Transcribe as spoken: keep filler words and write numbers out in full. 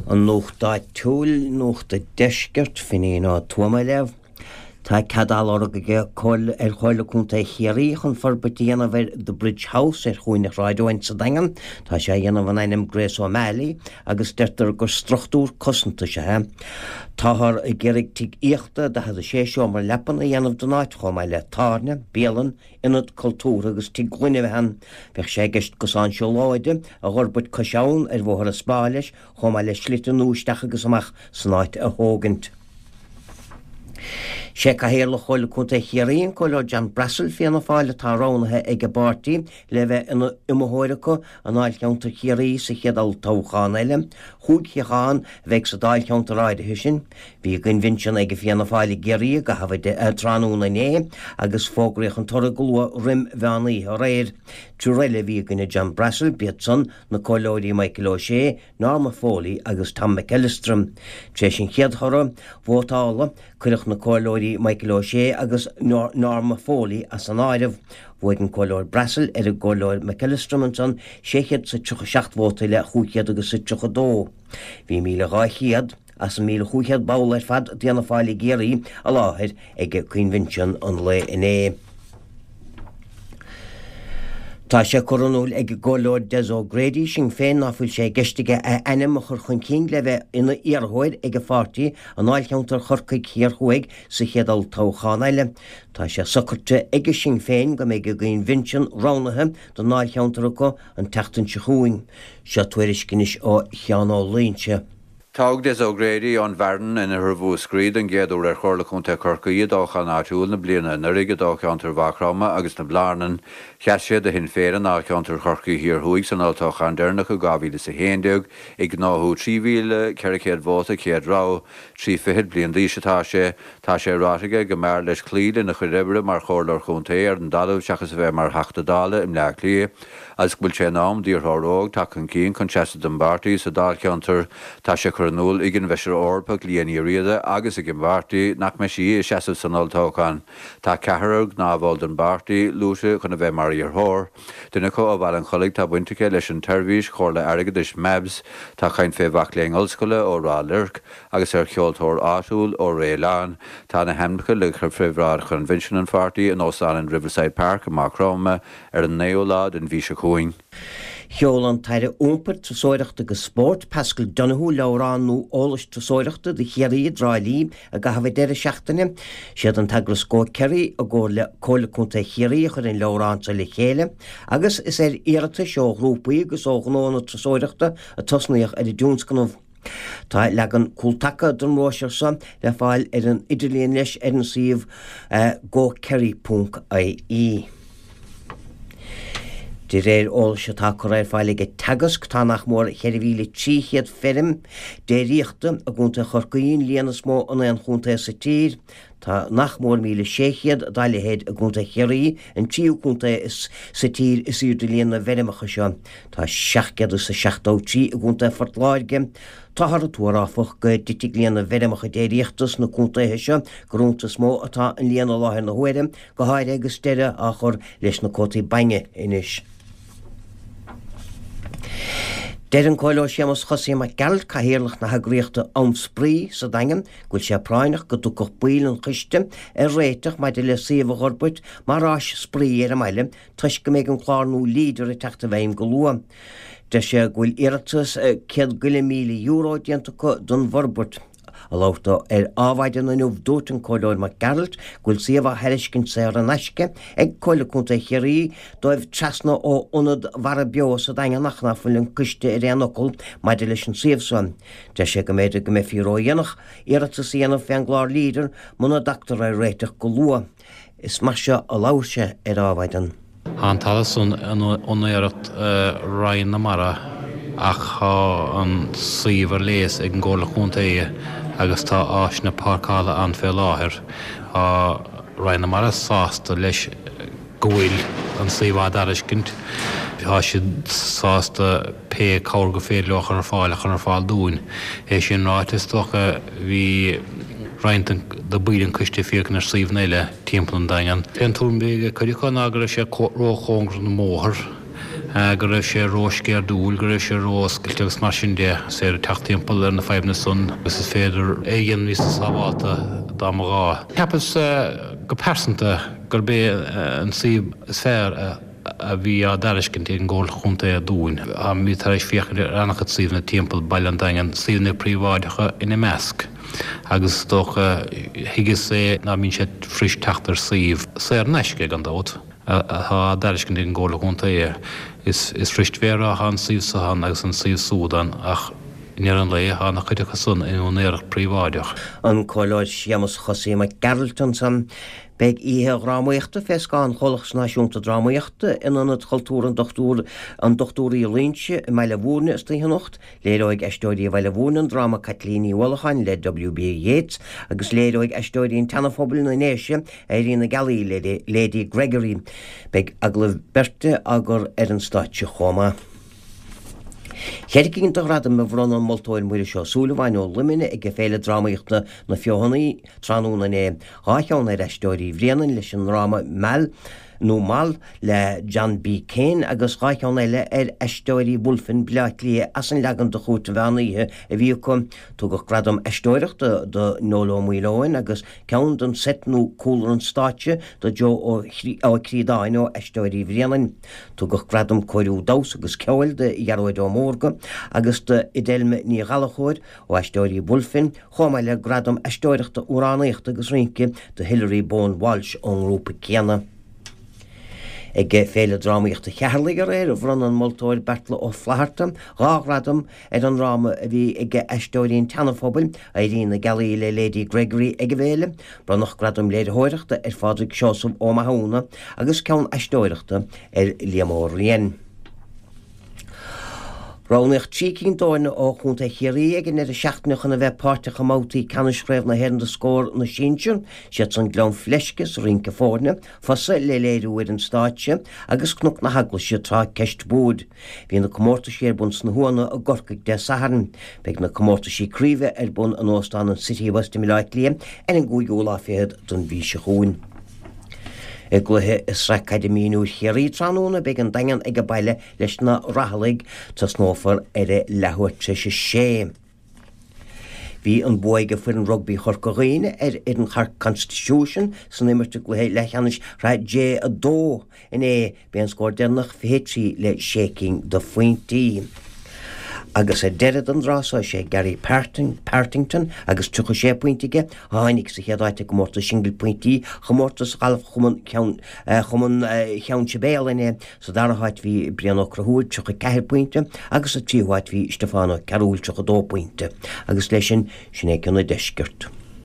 An Nuacht Áitiúil, Nuacht an Deiscirt, Finín Ó Tuama á léamh. Tá cead á lorg ag ar Chomhairle Contae Chiarraí chun forbairt a dhéanamh ar The Bridge House ar chúinne Shráid Eoin sa Daingean. Tá sé á dhéanamh in ainm Grace O'Malley agus deirtear gur struchtúr cosanta is ea é. Táthar ag iarraidh tigh aíochta daichead a sé seomra leapan a dhéanamh den áit chomh maith le tábhairne, bialann, ionad cultúrtha agus tigh gloine a bheith ann. Bheadh sé i gceist cosán siúlóide a fhorbairt cois abhann ar Bhóthar an Spá leis, chomh maith le slite nua isteach agus amach san áit a thógaint. Sé Cathaoirleach Chomhairle Contae Chiarraí an Comhairleoir John Brassil Fianna Fáil atá roghnaithe ag an bpáirtí le bheith ina iomaitheoir acu i ndáilcheantar Chiarraí sa chéad olltoghchán eile. Chúig shuíochán a bheidh sa dáilcheantar áirithe sin. Bhí coinbhinsean ag Fianna Fáil i gCiarraí i gcaitheamh tráthnóna inné agus fógraíodh an toradh go luath roim mheán oíche aréir. Triúr eile a bhí i gcoinne John Brassil, b'iad san na Comhairleoirí Michael O'Shea, Norma Foley agus Tom McEllistrim. Tar éis an chéad thoradh vótála, cuireadh na Comhairleoirí Michael O'Shea agus Norma Foley as an áireamh. Bhuaigh an Comhairleoir Brassil ar an gComhairleoir McEllistrim ansan sé chéad is a tríocha seacht vóta le chúig chéad agus a tríocha dó. Bhí míle dhá chéad as an míle chúig chéad ball ar fad d'Fhianna Fáil i gCiarraí i láthair ag coinbhinsean an lae inné. Tá sé curtha in iúl ag an gComhairleoir Des O'Grady Sinn Féin ná fuil sé i gceist aige a ainm a chur chun cinn le bheith ina iarrthóir ag an pháirtí i ndáilcheantar Chorcaigh Thiar Thuaidh sa chéad olltoghchán eile. Tá sé socraithe ag Sinn Féin go mbeidh a gcoinbhinsean roghnaithe don ndáilcheantar acu an tseachtain seo chugainn. Seo tuairisc anois ó Sheán Ó Loingsigh. Toghadh Des O'Grady ón Bhfearann in oirthear Mhúscraí den gcéad uair ar Chomhairle Contae Chorcaí i dtoghchán áitiúil na bliana anuraidh i dtoghcheantar Mhaigh Chromtha agus na Blarnan. Sheas sé do Shinn Féin i ndáilcheantar Chorcaí Thiar Thuaidh san olltoghchán deireanach i dhá mhíle is a haon déag, ag gnóthú trí mhíle ceithre chéad vóta chéad rogha. Trí fichid bliain d'aois atá sé. Tá sé ráite aige go mb'fhearr leis cloí lena chuid oibre mar chomhairleoir chontae ar an dtalamh seachas a bheith mar Theachta Dála i mBleá Cliath agus go bhfuil sé in am d'iarrthóir óg teacht chun cinn chun seasamh don bpáirtí sa dáilcheantar. Tá sé curtha in iúl ag an bhFeisire Eorpach Liadh Ní Riada agus ag an bpáirtí nach mbeidh sí ag seasamh san olltoghchán. Tá ceathrar gnáthbhall den bpáirtí luaite chun a bheith mar iarrthóir. Duine acu ó Bhaile an Chollaigh tá baint aige leis an tseirbhís chomhairle airgeadais MABS, tá caint fé mhac léinn ollscoile ó Ráth Luirc agus ar cheoltóir áitiúil ó Réileán. Tá na hainmneacha le cur fé bhráid choinbhinsean an pháirtí in Óstán an Riverside Park i Maigh Chromtha ar an naoú lá den mhí seo chugainn. Sheol an tAire Iompair, Turasóireachta agus Spóirt, Paschal Donohoe, leabhrán nua eolais turasóireachta do Chiarraí i dTrá Lí i gcaitheamh an deireadh seachtaine. Siad an t-eagras Go Kerry i gcomhar le Comhairle Contae Chiarraí a chuir an leabhrán seo le chéile agus is ar iarratais ó ghrúpaí agus ó ghnóanna turasóireachta a tosnaíodh ar an dtionscnamh. Tá leagan cúltaca den bhróisiúr seo le fáil ar an idirlíon leis ar an suíomh gokerry ponc ie. De réir eolais atá curtha ar fáil ag Teagasc, tá nach mór ceithre mhíle trí chéad feirm déiríochta i gContae Chorcaí, an líon is mó in aon chontae sa tír. Tá nach mór míle sé chéad dá leithéid i gContae Chiarraí, an tríú contae is sa tír is airde líon na bhfeirmeacha seo. Tá seacht gcéad is a seachtó trí i gContae Phort Láirge. Táthar ag tuar, áfach, go dtitfidh líon na bhfeirmeacha déiríochta sna contaetha seo gur iontu is mó atá an líon i láthair na huaire, go háirithe agus deireadh á chur leis na cuótaí bainne anois. Deir an Comhairleoir Séamus Chosaí Mac Gearailt, Cathaoirleach na heagraíochta Am Spraoi sa Daingean, go bhfuil sé práinneach go dtiocfadh baill an choiste ar réiteach maidir le suíomh a fhorbairt mar áis spraoi ar an mbaile toisc go mbeidh an clár nua Leader ag teacht i bhfeidhm go luath. Deir sé go bhfuil iarratas céad go leith míle euro déanta acu don bhforbairt. Ag labhairt dó ar Adhmhaidin inniu dúirt an Comhairleoir Mac Gearailt go bhfuil suíomh á thairiscint saor in aisce ag Comhairle Contae Chiarraí dóibh trasna ó Ionad Mhara Beo sa Daingean ach ná fuil an coiste ar aon fhocal maidir leis an suíomh seo. Deir sé go mb'fhéidir go mbeifí ródhéanach iarratas a dhéanamh fén gclár Leader muna dtagtar ar réiteach go luath. Is mar seo a labhair sé ar Adhmhaidin. Tá an talamh san in úinéireacht Roinn na Mara ach tá an suíomh ar léas ag an gComhairle Contae agus tá áiseanna páirceála ann fé láthair. Tá Roinn na Mara sásta leis go bhfuil an suíomh á dtairiscint. Tá siad sásta pé cabhair gur féidir leo a chur ar fáil a chur ar fáil dúinn. É sin ráite, is dócha, bhí roinnt de bhaill an choiste ag féachaint ar suíomhanna eile timpeall an Daingean. An tuairim a bhí ag cuid acu ná go raibh sé róchóngarach don mbóthar go raibh sé rósceirdiúil, go raibh sé ró-oscailte agus mar sin de is féidir teacht timpeall ar na fadhbanna san agus is féidir é a dhéanamh níos sábháilte dá mba ghá. Cheapas go pearsanta gurb é an suíomh is fearr a bhí á dtairiscint ag an gComhairle Chontae dúinn. Bhí tar éis féachaint ar an-chuid suíomhanna timpeall Baile an Daingin, suíomhanna príobháideacha ina measc. Agus is dócha thuigeas é ná mbíonn sé fuirist teacht ar suíomh saor in aisce gan dabht. atá á dtairiscint ag an gComhairle Chontae. Is is fuirist bheith ag rá tá an suíomh seo ann agus an suíomh súd ann ach i ndeireadh an lae tá an-chuid acu san in úinéireacht príobháideach. An Comhairleoir Séamus Chosaí Mac Gearailt ansan. Beidh oíche dhrámaíochta fé scáth an Chomhlachas Náisiúnta Drámaíochta in Ionad Chultúr an Dochtúir an Dochtúir Uí Loingsigh i mBaile Bhúirne istoíche anocht. Léireoidh Aisteoirí Bhaile Bhúirne an dráma Caitlín Ní Uallacháin le W.B. Yeats agus léireoidh Aisteoirí an tSeana-Phobail na nDéise Éirí na Gealaí le Lady Gregory. Beidh agallaimh beirte á gcur ar an stáitse chomh maith. Ceithre cinn de ghradaim a bhronn an moltóir Muiris Ó Súilleabháin ó Luimneach ag Féile Drámaíochta na Feothanaí tráthnóna inné, dhá cheann ar Aisteoirí Bhréanainn leis an ndráma Mal nó Mal le John B. Keane agus dhá cheann eile ar Aisteoirí Bhulfin, Baile Átha Cliath as an leagan de Chúirt an Mheán Oíche a bhí acu. Tugadh gradam aisteoireachta do Noel Ó Maoileoin agus ceann don seit nó cúlra an stáitse do Joe Ó Críodáin ó Aisteoirí Bhréanainn. Tugadh gradam cóiriú damhsa agus ceoil do Ghearóid Ó Mórdha agus do Fhidelma Ní Ghallchóir ó Aisteoirí Bhulfin, chomh maith le gradam aisteoireachta, amhránaíochta agus rince do Hilary Bowen Walsh ón ngrúpa céanna. Ag Féile Drámaíochta Cheatharlaigh aréir, bhronn an moltóir Beartla Ó Flatharta dhá ghradam ar an ndráma a bhí ag Aisteoirí an tSeana-Phobail, Éirí na Gealaí le Lady Gregory ag an bhféile. Bronnadh gradam léiritheoireachta ar Phádraig Seosamh Ó Mathúna agus ceann aisteoireachta ar Liam Ó Riain. Roghnaíodh trí cinn d'fhoirne ó Chontae Chiarraí ag an ndeireadh seachtaine chun a bheith páirteach i mbabhtaí ceannais Chraobh na hÉireann do Scór na Sinsear. Siad san Gleann Fleisce sa rince foirne, Fosa le léiriú ar an stáitse agus Cnoc na hEaglaise tráth ceist boird. Bhí na comórtaisí ar bun sna hUanna i gCorcaigh Dé Sathairn. Beidh na comórtaisí craoibhe ar bun in Óstán an City West i mBaile Átha Cliath ar an gcúigiú lá fichead den mhí seo chugainn. I gcluiche i Sraith Caide Mionúir Chiarraí tráthnóna beidh an Daingean age baile leis na Raghallaigh. Tosnófar ar a leathuair tar éis a sé. Bhí an bua ag foireann rugbaí Chorca Dhuibhne ar fhoireann Chork Constitution san imirt i gcluiche leathcheannais Shraith J a dó inné. B'é an scór deireanach fiche trí le sé cinn de phointí. Agus ar deireadh den dtráth so is é Gary Partington agus tríocha sé pointe aige a tháinig sa chéad áit i gcomórtas singil pointí chomórtas ghalf Chumann Chumann Cheann Sibéal inné. Sa dara háit bhí Brian Ó Conchúir, tríocha ceathair pointe, agus sa tríú háit bhí Stiofán Ó Cearúil, tríocha dó pointe. Agus leis sin, sin é Ceann an Deiscirt.